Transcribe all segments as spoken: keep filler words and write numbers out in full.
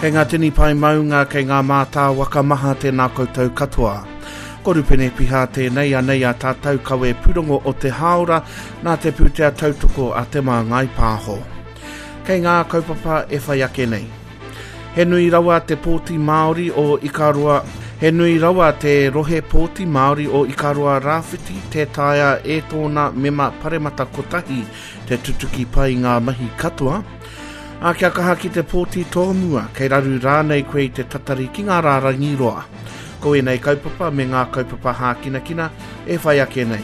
Kei ngā tini pae maunga, kei ngā mātāwaka maha tēnā koutou katoa. Ko Rupene Piha tēnei anei a tātou kawe pūrongo o te hāora nā te pūtea tautoko a Te Māngai Pāho. Kei ngā kaupapa e whai ake nei. He nui rawa te pōti Māori o Ikaroa, he nui rawa te rohe pōti Māori o Ikaroa Rāwhiti tē taea e tōna mema paremata kotahi te tutuki pai ngā mahi katoa. Ā, kia kaha ki te pōti tōmua, kei raru rānei koe i te tatari ki ngā rārangi roa. Ko ēnei kaupapa me ngā kaupapa hākinakina e whai ake nei.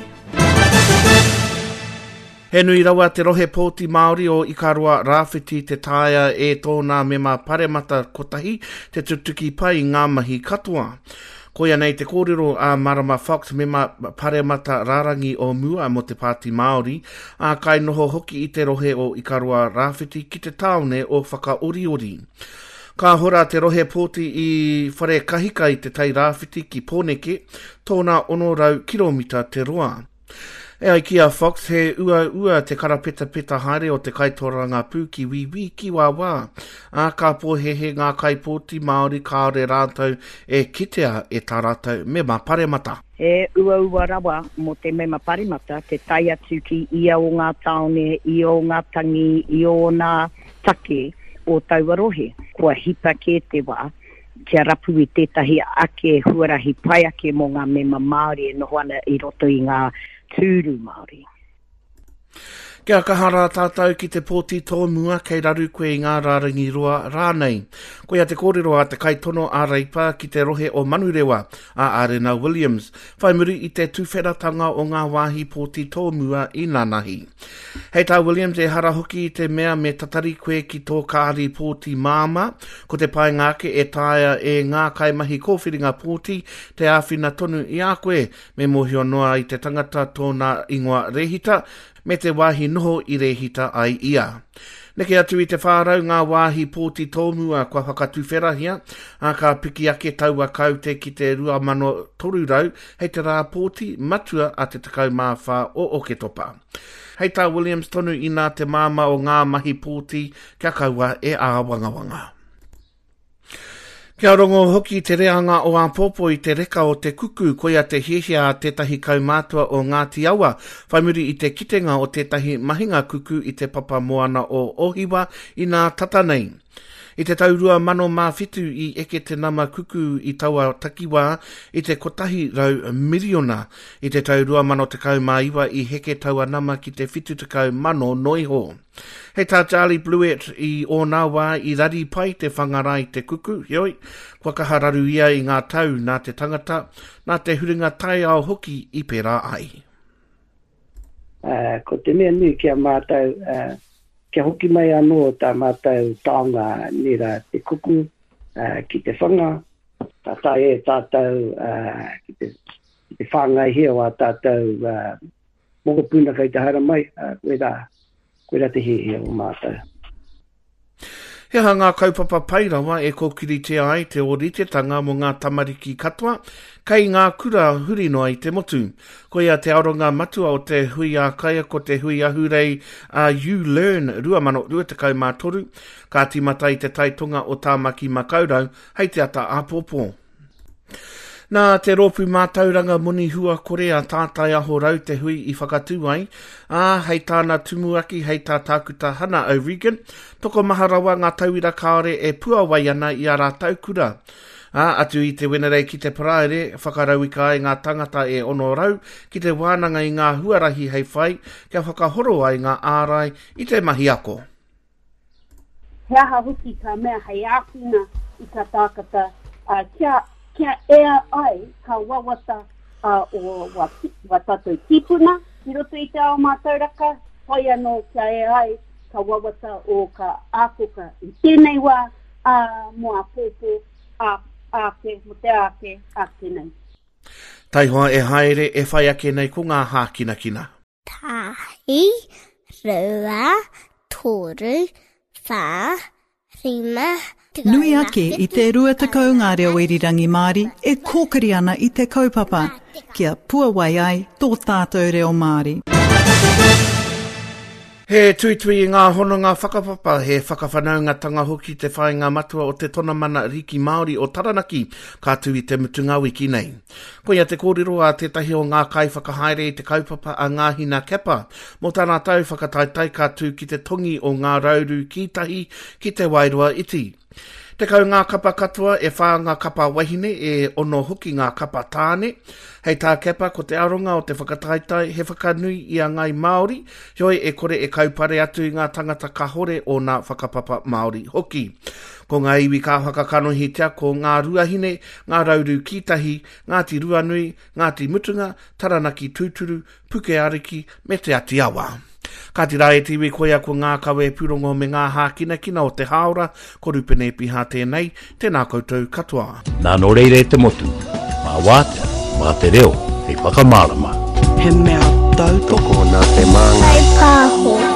He nui rawa te rohe pōti Māori o Ikaroa Rāwhiti te taea e tōna mema paremata kotahi te tutuki pai ngā mahi katoa. Koia nei te kōrero a Marama Fox, mema paremata rārangi o mua mō te Pāti Māori, ā, kainoho hoki i te rohe o Ikaroa Rāwhiti ki te tāone o Whakaoriori. Ka hora te rohe pōti i Wharekahika i te Tai Rāwhiti ki Pōneke, tōna ono rau kiromita te roa. E ai ki a Fox, he uaua te karapetapeta haere o te kaitorangapū ki wīwī, ki wāwā, ā, ka pōhēhē ngā kaipōti Māori kāore rātou e kitea e tā rātou mema paremata. He uaua rawa mō te mema paremata te tae atu ki ia o ngā tāone, i o ngā tangi, i ōna take o taua rohe. Kua hipa kē te wā kia rapu i tētahi ake huarahi pai ake mō ngā mema Māori e noho ana i roto i ngā tūru Māori. Kia kaha rā tātou ki te pōti tōmua, kei raru koe i ngā rārangi roa rānei. Koia te kōrero a te kaitono a Reipa ki te rohe o Manurewa, a Arena Williams, whai muri i te tuwheratanga o ngā wāhi pōti tōmua i nanahi. Hei tā Williams, ehara hoki i te mea me tatari koe ki tō kāri pōti māmā, ko te painga ake e taea e ngā kaimahi kōwhiringa pōti te āwhina tonu i a koe, me mōhio noa i te tangata tōna ingoa rēhita, me te wāhi noho i rēhita ai ia. Neke atu i te whā rau ngā wāhi pōti tōmua kua whakatuwherahia, ā, ka piki ake taua kaute ki te rua mano toru rau hei te rā pōti matua a te tekau mā whā o Oketopa. Hei tā Williams tonu inā te māmā o ngā mahi pōti kia kaua e āwangawanga. Kia rongo hoki te reanga o āpōpō i te reka o te kuku, koia te hiahia a tētahi kaumātua o Ngāti Awa, whai muri i te kitenga o tētahi mahinga kuku i te papa moana o Ōhiwa inā tata nei. I te tau rua mano mā whitu i eke te nama kuku i taua takiwā i te kotahi rau miriona. I te tau rua mano tekau mā iwa i heke taua nama ki te whitu tekau mano noa iho. Hei tā Charlie Bluett i ōna wā i rari pai te whangara i te kuku, heoi, kua kaha raru ia i ngā tau nā te tangata, nā te huringa taiao hoki i pērā ai. Uh, ko te mea nui ki a mātou, uh, kia hoki mai anō tā mātou taonga nera te kuku uh, ki te whanga, ka taea e tātou uh, ki te, ki te whāngaihia o ā tātou uh, mokopuna kei te haere mai, uh, koirā, koirā te hiahia o mātou. He aha ngā kaupapa pai rawa e kōkiritia ai te ōritetanga mō ngā tamariki katoa kei ngā kura huri noa i te motu? Koia te aronga matua o te hui ā-kaiako te hui ahurei a YouLearn rua mano rua tekau mā toru, ka tīmata i te taitonga o Tāmaki Makaurau hei te ata āpōpō. Nā te rōpū mātauranga moni hua kore a Tātai Aho Rau te hui i whakatū ai, ā, hei tāna tumuaki, hei tā Tākuta Hana O'Regan, tokomaha rawa ngā tauira kāore e puawai ana i ā rātou kura. Ā, atu i te Wenerei ki te Paraire, whakarauika ai ngā tangata e ono rau ki te wānanga i ngā huarahi hei whai kia whakahoro ai ngā ārai i te mahi ako. He aha hoki ka mea hei āwhina i ka tākata, ā, kia, kia ea ai ka wawata, ā, o wa, wa tātou tīpuna i roto i te ao mātauraka, whai anō kia ea ai ka wawata o ka ākoka i tēnei wā, ā, mō āpōpō, ā, āke, mō te āke, āke nei. Taihoa e haere, e whai ake nei ko ngā hākinakina. Tahi, rua, toru, whā, rima, Nui ake i te rua tekau ngā reo irirangi Māori e kōkiri ana i te kaupapa, kia puawai ai tō tātou reo Māori. He tuitui i ngā hononga whakapapa, he whakawhanaungatanga hoki te whāinga matua o te Tonamana Riki Māori o Taranaki, ka tū i te mutunga wiki nei. Koia te kōrero a tētahi o ngā kai whakahaere i te kaupapa a Ngāhina Kepa, mō tā rātou whakataetae ka tū ki te tongi o Ngā Rauru Kītahi ki te Wairoa Iti. Tekau ngā kapa katoa, e whā ngā kapa wahine, e ono hoki ngā kapa tāne. Hei tā Kepa, ko te aronga o te whakataetae he whakanui i a Ngai Māori, heoi e kore e kaupare atu i ngā tangata kahore o nā whakapapa Māori hoki. Ko ngā iwi ka whakakanohitia ko Ngā Ruahine, Ngā Rauru Kītahi, Ngāti Ruanui, Ngāti Mutunga, Taranaki Tūturu, Puke Ariki me Te Ati Awa. Ka tira e te iwi koia ko ngā kawe pūrongo me ngā hākinakina o te hāora, ko Rupene Piha tēnei, tēnā koutou katoa. Nā nō reira e te motu, mā wātea, mā te reo, hei whakamārama. He mea tautoko Tokona te māngai. Whai pāho.